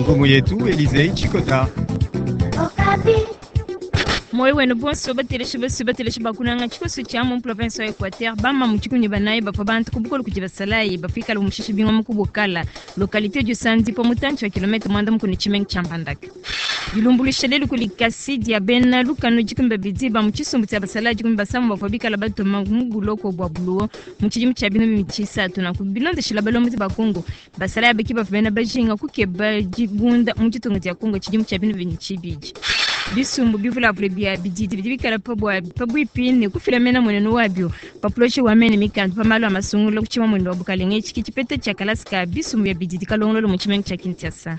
Ngumu yetu Elysee Tshikota. Moyo wenu bonso bateleshi basu bateleshi bakunanga tshikoso tshia mu province wa Equateur bama mu tshikumi banayi bafua bantu ku bukole kudi basalayi bafikala bumushishi bingoma ku Bokala, localité du Sandipo, mutantshi wa kilomètre 90 ne tshimenga tshia Mbandaka. Dilumbuluisha lelu kudi kasi dia bena lukanu 12 ba mu tshisumbu tshia basalayi 13 bavua bikala batuma mu buloko bua Buluwo mu tshidimu tshia 2003. Nanku bilondeshila balombodi ba Kongo, basalayi abaki bavua bena bajinga kukeba dibunda mu ditunga dia Kongo tshidimu tshia 2002. Bisumbu bivulavule bia bididi bidi bikala pabuipi ne kufila mena mwenenu wabio pa projet wa mene mikanda pa malu a masungula ku tshima mwendo wa bukalenge. Etshi tshipeta tshia kalasa ka bisumbu bia bididi kalongololo mu tshimenga tshia Kinshasa.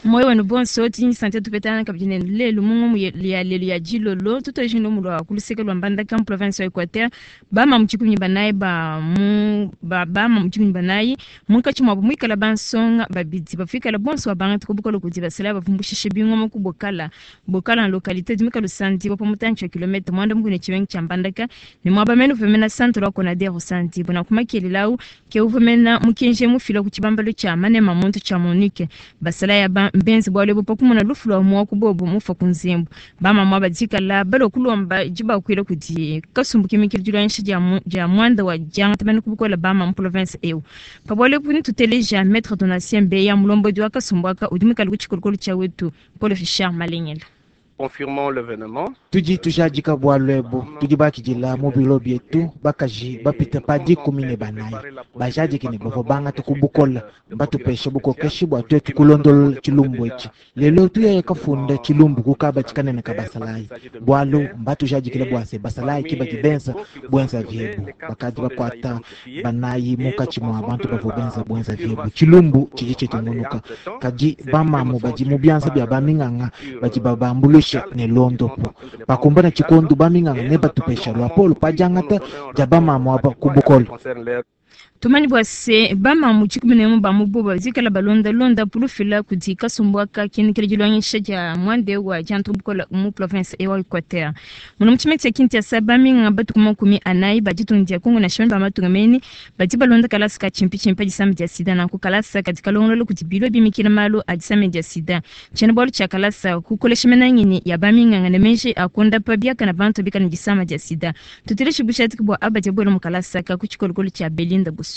Moyo wenu bonso tinyi sante tupetana kabidi ne lelu mu ngumu ya lelu ya dilolo tutoji no mulwa ku luseke lwa Mbandaka mu province ya Equateur. Bama mu 14 ba mu ba bama mu 14 munkatshi mwabo muikala bansonga babidi bafikala bonso babanga ku bukolo kudi basala bavumbushishe bingoma ku Bokala. Bokala na localité di Mikalu Sandi pa mutantshi wa kilomètre 90 ne tshimenga tshia Mbandaka ne mwaba mene uvemena centre wa Konader Sandi bona kumakelelawu ke uvemena mukenje mufila ku tshibambalo tshia manema muntu tshia Monique. Basala ya ba mbenzi bwale bo pakumona lufu lwa mwa kubobo mufa ku nzembo. Bama mwa badikala balo kulomba jibakwila kudi kasumbu kimikili dilwanisha dia mwanda wa diangata bana kubukola bama mu province eu. Pabwale kuni tuteleja Maître Donatien Mbeya mulombodi wa kasumbu aka udi mukali ku tshikolokolo tshia wetu Paul Richard Malengela. Confirmons l'événement. Tudi tujadika bwalwebo, tudi bakidila mu bilo bietu bakaji bapita pa 14 bajadiki ne bavua bangata ku bukola batupesha bukokeshi bua tuetu kulondolola tshilumbu etshi. Lelo tuyaya kafunda tshilumbu kukaba tshikanene ka basalayi bwalu mbatujadikile bua se basalayi ki badi benza bwenza vyebu bakadi bakwata banayi munkatshi mua bantu bavua benza bwenza vyebu. Tshilumbu tshidi tshitungunuka kadi bamamu badi mu bianza bia baminganga badi babambulusha ne londopo bakumbana tshikondu baminganga ne batupesha lwa polo pajangata dia bamamu aba ku bukolo. Tumani bua se bamamu 11 ba mu boba zikala balonda londa pulufila kudi kasumbu aka kinikile dilongesha dia mwande wa diantu bukola mu province ewa Equateur. Muno mu tshimenga tshia Kinshasa baminganga batuku 40 ba ditunga dia Kongo national ba matunga mene badi balonda kalasa ka tshimpi disama dia sida nanku kalasa kadi kalongolola kudi bilo bimikila malu a disama dia sida. Tshiena bualu tshia kalasa kukolesha menangini ya baminganga ne menje akonda pa biakana bantu bikala ne disama dia sida. Tuteleshi bushatiki bua aba dia buela mu kalasa ka ku tshikolokolo tshia Belinda Busuma.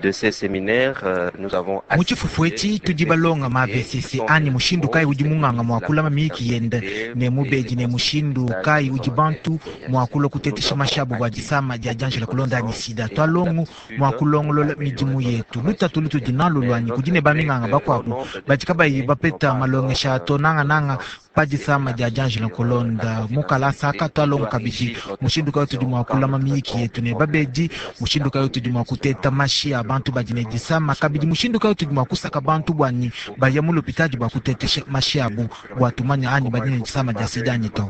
De ces séminaires, nous avons Mu tshifufu etshi tudi balonga ma VCC ani mushindu kayi udi munganga mua kulama miyiki yende ne mubedi ne mushindu kayi udi bantu mua kulua kutetesha mashabu bua disama dia dianjila kulonda anyi sida. Twalongu mua kulongolola midimu yetu. Lutatu lutudi nalu luanyi kudi ne baminganga bakuabu badi kabayi bapeta malongesha to nangananga pa disama dia dianjila kulonda. Mu kalasa aka twalongu kabidi mushindu kayi tudi mua kulama miyiki yetu ne babedi, mushindu kayi tudi mua kuteta mashi a bantu badi ne disama, kabidi mushindu kayi tudi mua kusaka bantu bwanyi baya mu lopitadi bua kutetesha mashi abu bua tumanya anyi badi ne disama dia sida anyi to.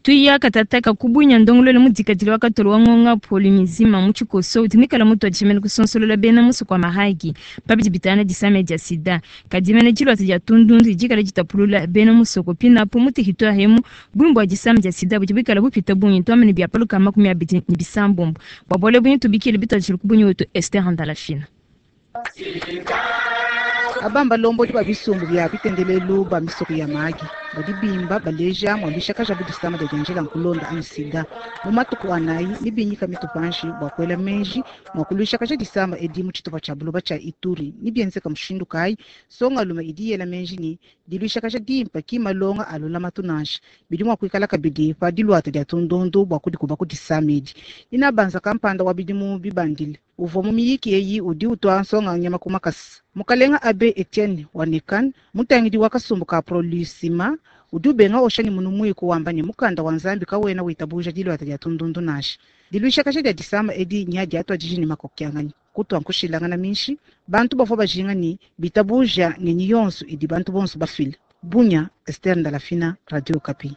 Tuya katataka kubunya ndongololo mudikadile wa katolo wa ngonga polimizima mu tshikoso udi muikala mutu adishimene kusonsolola bena musu kwa mahagi pabidi bitana disama dia sida. Kadimene tshilwata dia tundundu dikala ditapulula bena musoko pinapo mu territoire emu bwimbu bua disama dia sida budi buikala bupita bungi twamene bia paluka 29. Bua bualu bunyi tubikile bitadishile kubunyi wetu Esther Ndalafina. Abamba lombodi ba bisumbu bia bitendelelu ba misoko ya magi badi bimba baleja mwaluisha kaja budisama dia dianjela nkulonda anyi sida. Mu matuku anayi nibinyika mitupanji bua kuela menji mua kuluisha kaja disama edi mu tshitupa tshia buloba tshia Ituri. Nibienzeka mushindu kayi? Songa lume idi yela menji ni diluisha kaja dimpa ki malonga alula matunanshi bidi mua kuikala kabidi pa diluata dia tundundu bua kudikuba ku disama edi. Ina banza kampanda wa bidimu bibandile uvua mu miyiki eyi udi utua nsonga nyama ku makasa. Mukalenga Abe Etienne wa Nekan mutangidi wa kasumbu ka Prolusima udi ubenga osha ni munu muiku wamba ni mukanda wa Nzambi kawena witabuja diluata dia tundundu nansha. Diluisha kasha dia disama edi nya dia atwa jiji ni makokyangani kutwa nkushilangana minshi bantu bavua bajinga ni bitabuja ngenyi yonso idi bantu bonso bafile. Bunya, Esther Ndalafina, Radio Okapi.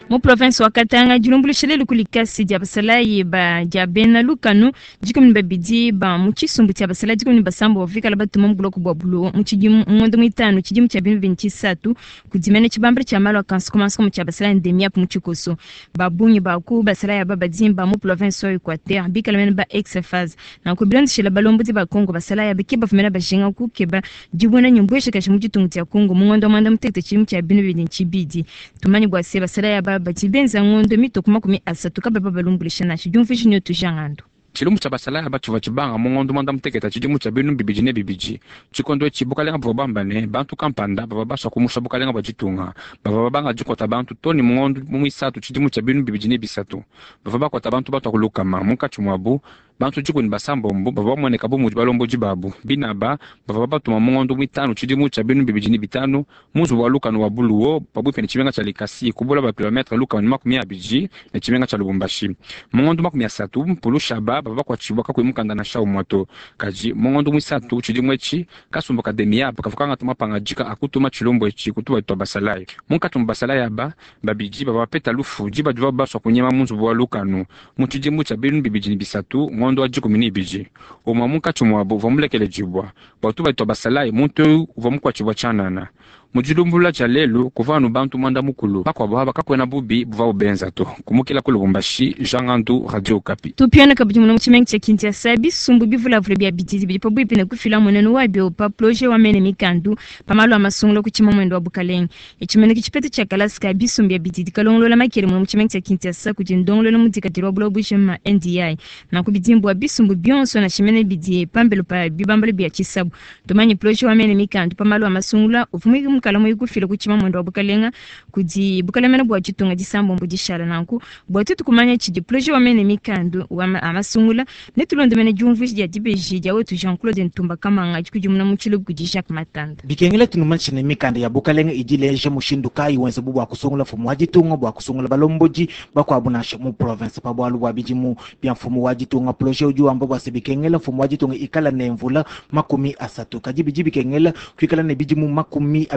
Mu province wa Katanga, dilumbuluisha lelu kuli kasi dia basalayi ba dia bena lukanu 12 ba mu tshisumbu tshia basalayi 16 bavikala batuma mu buloko bua Bulowo mu tshidimu ngondo muitanu tshidimu tshia 2023 kudi mene tshibambala tshia malu a kansukumansukumu tshia basalayi ndemiapu mu tshikoso. Ba bungi ba ku basalayi aba badimba mu province wa Equateur bikala mene ba ex-FAZ. Nanku bilondeshela balombodi ba Congo, basalayi aba ke bavua mene bajinga kukeba dibona ne mbueshakaji mu ditunga dia Congo mu ngondo wa 11 tshidimu tshia 2022. Tumanye bua se basalayi aba badi benza ngondo mitoku 30 kababa balumbulisha nansha diumvuija nyotu jangando. Tshilumbu tshia basalayi aba tshivua tshibanga mu ngondo 11 tshidimu tshia 2002. Tshikondo etshi bukalenga buvua bamba ne bantu kampanda bavua basua kumusha bukalenga bua ditunga. Bavua babanga dikuata bantu too ne mu ngondo muisatu tshidimu tshia 2003. Bavua bakuata bantu batua ku lukama, munkatshi muabu bantu 16 bavua bamueneka bu mudi balombodi babu. Binaba bavua babatuma mu ngondo muitanu tshidimu tshia 2005 mu nzubu wa lukanu wa Buluwo pabuipi ne tshimenga tshia Likasi kubula ba kilometre 120 ne tshimenga tshia Lubumbashi. Mu ngondo 30 Mpulushaba bavua bakuatshibua kakuyi mukanda nansha umue to. Kadi mu ngondo muisatu tshidimu etshi kasumbu ka Demiap kavua kangata mapangadika a kutuma tshilumbu etshi ku tubadi tua basalayi. Munkatshi mua basalayi aba babidi bavua bapeta lufu diba divuabu basua kunyema mu nzubu wa lukanu mu tshidimu tshia 2003 ngondo wa 12. Umue munkatshi muabu uvua mulekeledibua bua tubadi tua basalayi, muntu eu uvua mukuatshibua tshianana. Mu dilumbulula dia lelu kuvua anu bantu 10 bakuabu aba kakuena bubi buvuabu benza to. Kumukila ku Lubumbashi, Jean Ngandu, Radio Okapi. Tupiana kabidi muno mu tshimenga tshia Kinshasa, bisumbu bivulavula bia bididi bidi pabuipi ne kufila mmuenenu wabio pa projet wa mene mikandu pa malu a masungula ku tshimamwendo wa bukalenge. Etshimeneke tshipeta tshia kalasa ka bisumbu bia bididi kalongolola makele muno mu tshimenga tshia Kinshasa kudi ndongoluelu mudikadile wa buloba bujima NDI. Nanku bidimbu wa bisumbu bionso na tshimene bidi pambelo pa bibambalo bia tshisabu. Tumanye projet wa mene mikandu pa malu a masungula uvua mukala muikufila ku tshimamwendo wa bukalenga kudi bukalemena bua ditunga disambombo dishala. Nanku bua tuetu kumanya tshidi projet wa mene mikandu wa masungula ne tulonde mene diumvuija dia dibeji dia wetu Jean-Claude Ntumba Kamanga dikudimuna mu tshilubu kudi Jacques Matanda. Bikengela tunumanyishe ne mikanda ya bukalenga idi ileja mushindu kayi wenza bu bua kusungula mfumu wa ditunga, bua kusungula balombodi bakuabu nansha mu province pa bualu bua bidimu bia mfumu wa ditunga. Projet udi wamba bua se bikengela mfumu wa ditunga ikala ne mvula 30, kadi bidi bikengela kuikala ne bidimu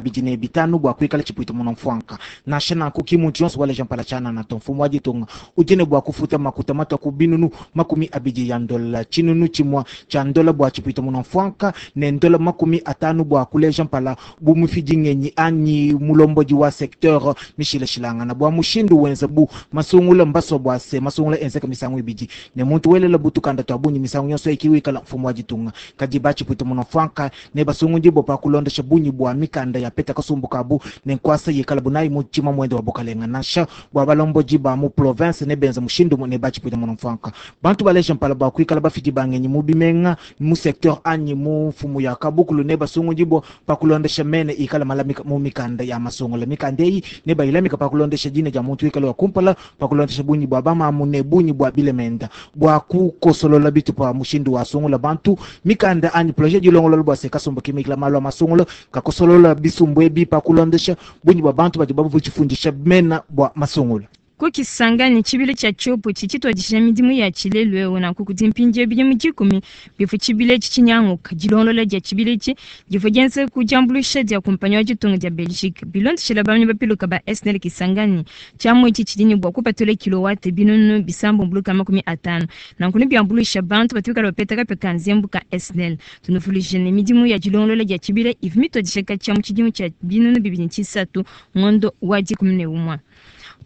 25 bua kuikala tshipuita muna mfuanka. Nansha nanku ki muntu yonso waleja mpala tshianana to. Mfumu wa ditunga udi ne bua kufuta makuta matua ku binunu 20 ya ndola, tshinunu tshimua tshia ndola bua tshipuita muna mfuanka ne ndola 50 bua kuleja mpala bu mufidi ngenyi anyi mulombodi wa secteur mishilashilangana. Bua mushindu wenza bu masungula mbasua bua se masungula enzeka misangu ibidi ne muntu welela butukanda tua bungi misangu yonso ikiwikala mfumu wa ditunga. Kadi batshipuita muna mfuanka ne basungudi bo pa kulondesha bungi bua mikanda ya peta kasumbu kabu ne nkwasa yikala bunayi mu tshima mwende wa bukalenga. Nansha bua balombodi ba mu province ne benza mushindu ne batshipuita muna mfuanka. Bantu baleja mpala bua kuikala bafidi bangenyi mu bimenga mu secteur anyi mu mfumu ya kabukulu ne basungudi bo pa kulondesha mene ikala malamika mu mikanda ya masungula. Mikanda eyi ne bayilamika pa kulondesha dina dia muntu ikala wa kumpala pa kulondesha bungi bua bamamu ne bungi bua bilemenda bua kukosolola bitupa mushindu wa sungula bantu. Mikanda anyi projet dilongolola bua se kasumbu kimikila malu a masungula kakosolola bisumbu ebi pa kulondesha bungi bua bantu badi babu tshifundisha mena bua masungula. Kukisangani tshibili tshia tshiopo tshitshituadija midimu ya tshilelu eu nanku kudi mpindieu bidimu 10 bivua tshibili etshi tshinyanguka. Dilongolola dia tshibili etshi divua dienza ku diambuluisha dia kumpanyi wa ditunga dia Belgique. Bilondeshela bamanyi bapiluka ba SNEL Kisangani, tshiamu etshi tshidi ne bua kupatula kilowate 650. Nanku nebiambuluisha bantu batu bikala bapeta kapia ka nzembu ka SNEL. Tunuvuluije ne midimu ya dilongolola dia tshibili ivua mituadija katshia mu tshidimu tshia 2003 ngondo wa 11.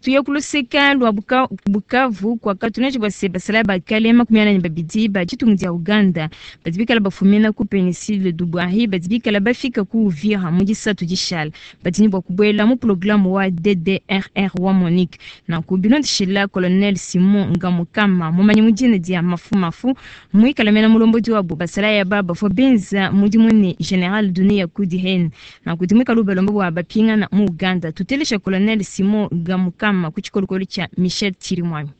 Tuye kuluseka lwa Bukavu kwa katuneji bua se basalayi ba kale 42 ba ditunga dia Uganda badi bikala bafumina ku Péninsule du Bwahili badi bikala bafika ku Uvira mu disatu dishala badi ne bua kubuela mu programme wa DDRR wa MONUC. Nanku bilondeshela Colonel Simon Ngamukama mumanyi mu dina dia Mafumafu muikala mena mulombodi wabo basalayi aba bavua benza mudimu ne General Dunia Kudi Hen. Nanku dimuikala ubalomba bua bapingana mu Uganda. Tutelesha Colonel Simon Ngamukama ku tshikolokolo tshia Michel Chirimwami.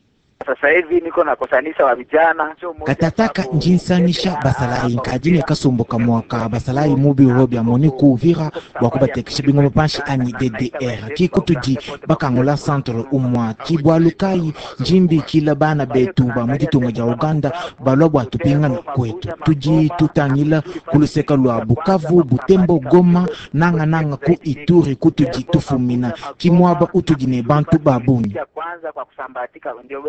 Sasa hivi niko nakosanisha wa vijana Katataka njinsangisha basalayi nkadi ne kasumbu kamua ka basalayi mu biro bia MONUC ku Uvira bua kubatekesha bingoma panshi anyi DDR ki kutudi bakangula centre umua ki bualu kayi njimbikila bana betu ba mu ditunga dia Uganda balua bua tupingana kwetu. Tudi tutangila ku luseka lua Bukavu, Butembo, Goma, nanga nanga ku Ituri kutudi tufumina ki muaba utudi ne bantu ba bungi. Kwanza kwa kusambatika ndio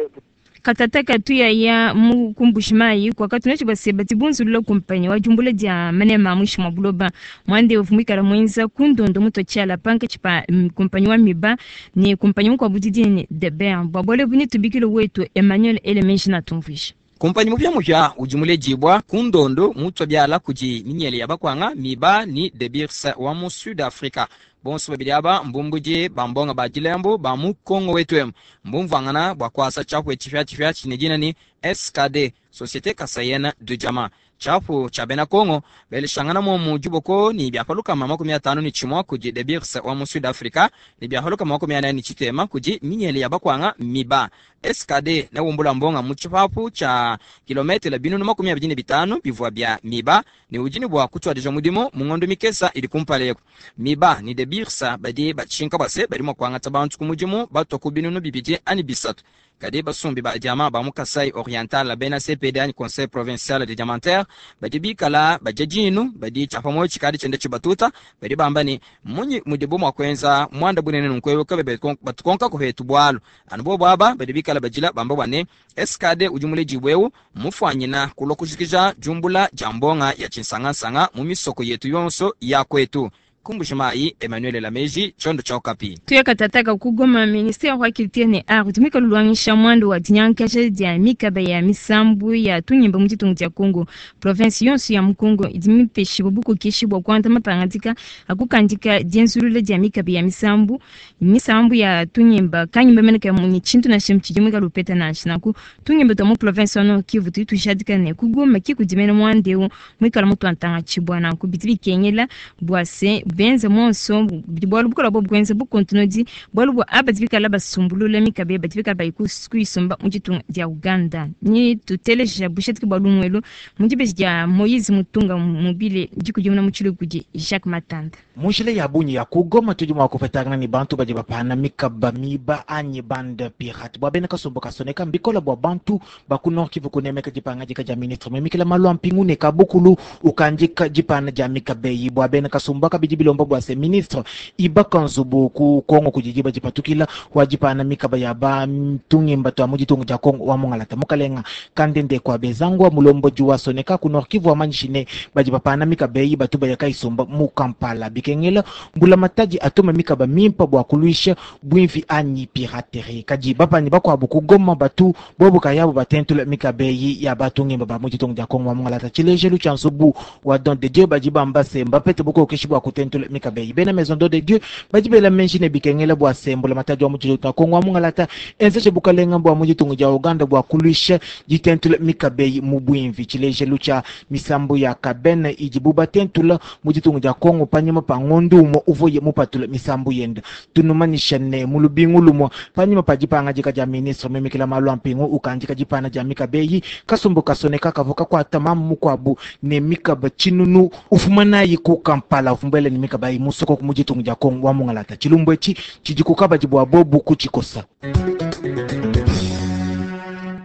Katataka tuyaya mu ku Mbuji-Mayi kwakatu netu baseba tibunzulula kumpanyi wa jumbula dia manema a muinshi mua buloba mwande uvua muikala muenza ku ndondo mutua tshiala pankatshi pa kumpanyi wa miba ne kumpanyi mukuabu didi ne Deber. Bua bualu ebu netubikile wetu Emmanuel Elemeji natumvuija. Kumpanyi mupiamupia udi muledibua ku ndondo mutua biala kudi minyele ya bakwanga miba ni De Beers wa mu Sud Africa. Bonso babidi aba mbumbudi ba mbonga ba dilembo ba mu Kongo wetu emu. Mbumvuangana bua kuasa tshiapu etshi tshipiatshipia tshine dina ni SKD, Société Kasaïenne de Diamant. Tshiapu tshia bena Kongo beleshangana momu diboko ni bia pa lukama makumi atanu ni tshimua kudi De Beers wa mu Sud Africa ni bia pa lukama makumi anayi ni tshitema kudi minyele ya bakwanga miba. SKD neumbula mbonga mu tshipapu tshia kilometele binunu makumi abidi ne bitanu bivua bia miba ne udi ne bua kutuadija mudimu mu ngondo mikesa idi kumpala eku. Miba ni De Beers badi batshinka bua se badi mua kuangata bantu ku mudimu batua ku binunu bibidi anyi bisatu. Kadi basumbi ba diamant ba mu Kasai Oriental bena CPD anyi Conseil Provincial de Diamantaire badi bikala badia dinu badi tshia pa muoyo tshikadi tshienda tshibatuta badi bamba ne munyi mudibu mua kuenza muanda bunene nunku eu kabe batukonka ku hetu bualu anu bobu aba badi bikala badila bamba bua ne SKD udi muledibue eu mufuanyina kulua kujikija diumbula dia mbonga ya tshinsangansanga mu misoko yetu yonso ya kwetu. Ku Mbuji-Mayi, Emmanuel Lameji, tshiondo tshia Okapi. Tuya katataka ku Goma, ministère wa culture ne art udi muikale uluangisha muanda wa dinyankaja dia mikaba ya misambu ya tunyimba mu ditunga dia Congo. Province yonso ya mu Congo idi mipeshibue bukokeshi bua kuangata mapangadika a kukandika dienzulula dia mikaba ya misambu, misambu ya tunyimba kanyimba mene ka munyi tshintu nansha tshidi muikale upeta nansha. Nanku tunyimba tua mu province wa Nord Kivu tudi tujadika ne ku Goma ki kudi mene muanda eu muikale mutuantanga tshibua. Nanku bidi bikengela bua se benze monso bidi bualu bukola bo bwenze bukontinudi bualu bua aba bikala basumbulula mikabe badi bikala bayi kuyisumba mu ditunga dia Uganda. Ni tuteleja bushetiki bua lumuelu mu dibeji dia Moïse Mutunga mobile dikudimuna mu tshilugu kudi Jacques Matanda. Mu njila ya bungi ya ku Goma tudi mua kupetangana ne bantu badi bapana mikaba miba anyi bande pirate. Bua bena kasumbu kasoneka mbikola bua bantu ba ku Nord Kivu kunemeka dipangadika dia ministre muimikila malu a mpingu ne kabukulu ukandika dipana dia mikaba eyi. Bua bena kasumbu aka bidi bilomba bua se ministre ibaka nzubu ku Kongo kudi diba dipatukila wa dipana mikaba ya ba tungimba tua mu ditunga dia Kongo wa mungalata. Mukalenga Kandende kwa Bezangwa mulombodi wa Soneka ku Nord Kivu wamanyishi ne badi bapana mikaba eyi batu baya kayisumba mu Kampala. Bikengela mbula matadi atuma mikaba mimpa bua kuluisha bwimvi anyi piraterie. Kadi bapanyi bakuabu ku Goma batu bobu kayabu batentula mikaba eyi ya batungimba ba mu ditunga dia Kongo wa mungalata. Tshilejelu tshia nzubu wa Don de Dieu badi bamba se mbapete bukokeshi bua kutentula mikaba eyi. Bena Maison Don de Dieu badi bela menji ne bikengela bua se mbula matadi wa mu ditunga dia Kongo wa mungalata enzeje bukalenga bua mu ditunga dia Uganda bua kuluisha ditentula mikaba eyi mu bwimvi. Tshilejelu tshia misambu ya Kabene idibu batentula mu ditunga dia Kongo panyima pa ngondu umue uvuye mupatula misambu yende. Tunumanyisha ne mu lubingu lumue panyima pa dipangadika dia ministre muimikila malu a mpingu ukandika dipana dia mikaba eyi. Kasumbu kasoneka kavua kakuata mamu mukuabu ne mikaba tshinunu ufuma nayi ku Kampala ufumbele ne mikaba eyi musoko mu ditunga dia Kongo wa mungalata. Tshilumbu etshi tshidi ku kabadi bua bobu kutshikosa.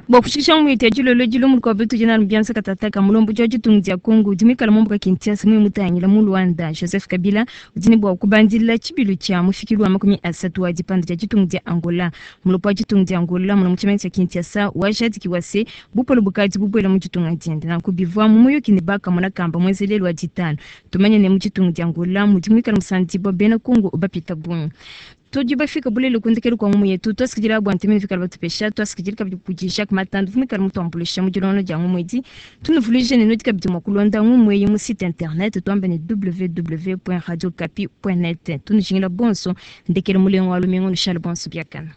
Bua kushikisha mu ite dilolo dilomu lukuabu tudi nanu bianza katataka mulombodi wa ditunga dia Kongo udi muikale mumbuka Kinshasa muye mutangila mu Luanda. Joseph Kabila udi ne bua kubandila tshibilu tshia mufikilu wa makumi asatu wa dipanda dia ditunga dia Angola. Mulopo wa ditunga dia Angola muna mu tshimenga tshia Kinshasa wajadikiwa se bupole bukadi bubuela mu ditunga diende. Nanku bivua mu muyuki ne bakamona kamba muenzelelu wa ditanu. Tumanye ne mu ditunga dia Angola mudi muikale musandibua bena Kongo bapita bungi. Tudi bafika bulele kundekelu kwa ngumu yetu twasikidila bua ntemene fikala batupesha twasikidila kabidi kudi Jacques Matanda vumikala mutuambulisha mu dilonga dia ngumu edi tunuvuluije ne nudi kabidi mua kulonda ngumu eyi mu site internet tuambe ne www.radiokapi.net tunujingila bonso ndekele mulengo wa lumingu nushale bonso biakana.